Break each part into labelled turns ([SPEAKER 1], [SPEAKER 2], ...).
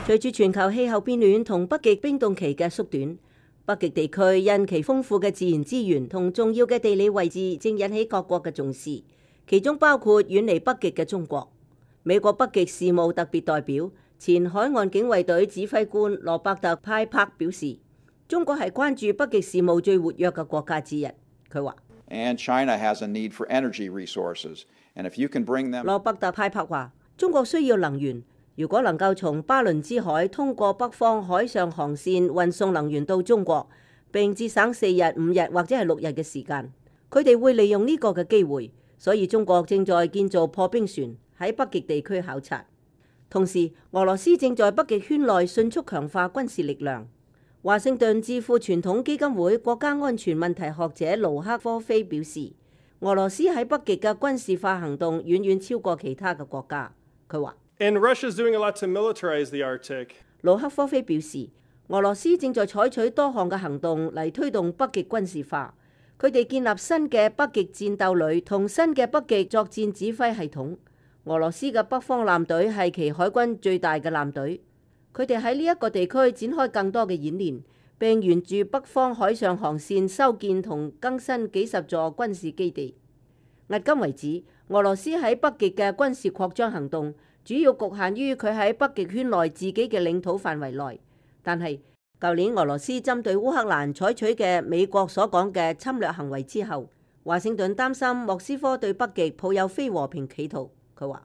[SPEAKER 1] 隨住全球氣候變暖同北極冰凍期嘅縮短，北極地區因其豐富嘅自然資源同重要嘅地理位置，正引起各國嘅重視，其中包括遠離北極嘅中國。美國北極事務特別代表、前海岸警衛隊指揮官羅伯特派柏表示，中國係關注北極事務最活躍嘅國家之一。佢話：羅伯特派柏話，中國需要能源。如果能夠從巴倫支海通過北方海上航線運送能源到中國，並節省4日、5日或者係6日嘅時間，佢哋會利用呢個嘅機會。所以中國正在建造破冰船喺北極地區考察。同時，俄羅斯正在北極圈內迅速強化軍事力量。華盛頓智庫傳統基金會國家安全問題學者盧克科菲表示，俄羅斯喺北極嘅軍事化行動遠遠超過其他嘅國家。佢話。
[SPEAKER 2] And Russia is doing a lot to militarize the Arctic.
[SPEAKER 1] 盧克科菲表示，俄羅斯正在採取多項嘅行動嚟推動北極軍事化。佢哋建立新嘅北極戰鬥旅同新嘅北極作戰指揮系統。俄羅斯嘅北方艦隊係其海軍最大嘅艦隊。佢哋喺呢一個地區展開更多嘅演練，並沿住北方海上航線修建同更新幾十座軍事基地。迄今為止，俄羅斯喺北極嘅軍事擴張行動主要局限於佢喺北極圈內自己嘅領土範圍內，但係舊年俄羅斯針對烏克蘭採取嘅美國所講嘅侵略行為之後，華盛頓擔心莫斯科對北極抱有非和平企圖。佢話：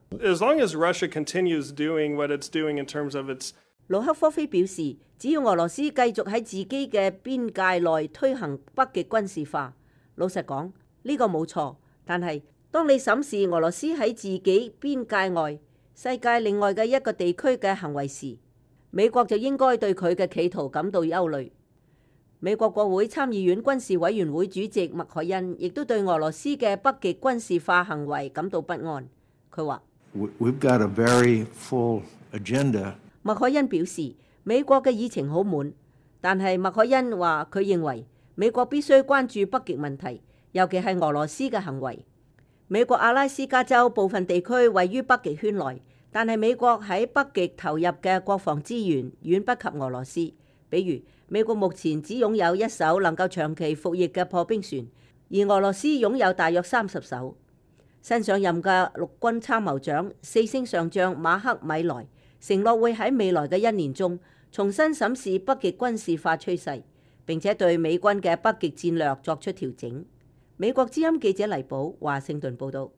[SPEAKER 1] 盧克科菲表示，只要俄羅斯繼續喺自己嘅邊界內推行北極軍事化，老實講呢個冇錯，但係當你審視俄羅斯喺自己邊界外世界另外嘅一個地區嘅行為時，美國就應該對佢嘅企圖感到憂慮。美國國會參議院軍事委員會主席麥凱恩亦都對俄羅斯嘅北極軍事化行為感到不安。佢話：麥凱恩表示，美國嘅議程好滿，但係麥凱恩話佢認為美國必須關注北極問題，尤其係俄羅斯嘅行為。美國阿拉斯加州部分地區位於北極圈內，但係美國喺北極投入嘅國防資源遠不及俄羅斯。比如，美國目前只擁有1艘能夠長期服役嘅破冰船，而俄羅斯擁有大約30艘。新上任嘅陸軍參謀長4星上將馬克米萊承諾會喺未來嘅1年中重新審視北極軍事化趨勢，並且對美軍嘅北極戰略作出調整。美國之音記者黎寶華盛頓報道。